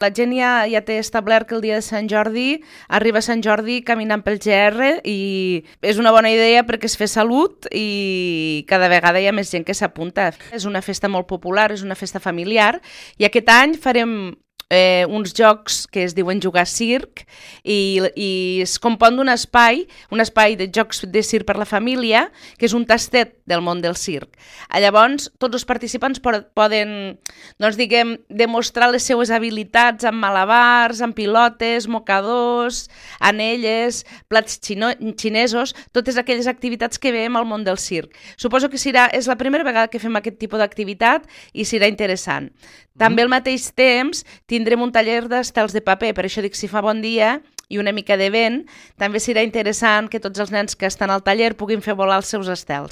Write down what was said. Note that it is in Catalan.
La gent ja té establert que el dia de Sant Jordi arriba Sant Jordi caminant pel GR i és una bona idea perquè es fa salut i cada vegada hi ha més gent que s'apunta. És una festa molt popular, és una festa familiar i aquest any farem uns jocs que es diuen Jugar Circ i es compon d'un espai de jocs de circ per la família, que és un tastet del món del circ. Llavors, tots els participants poden, doncs diguem, demostrar les seues habilitats amb malabars, amb pilotes, mocadors, anelles, plats xinesos, totes aquelles activitats que veiem al món del circ. Suposo que és la primera vegada que fem aquest tipus d'activitat i serà interessant. També al mateix temps tindrem un taller d'estels de paper, per això dic si fa bon dia i una mica de vent, també serà interessant que tots els nens que estan al taller puguin fer volar els seus estels.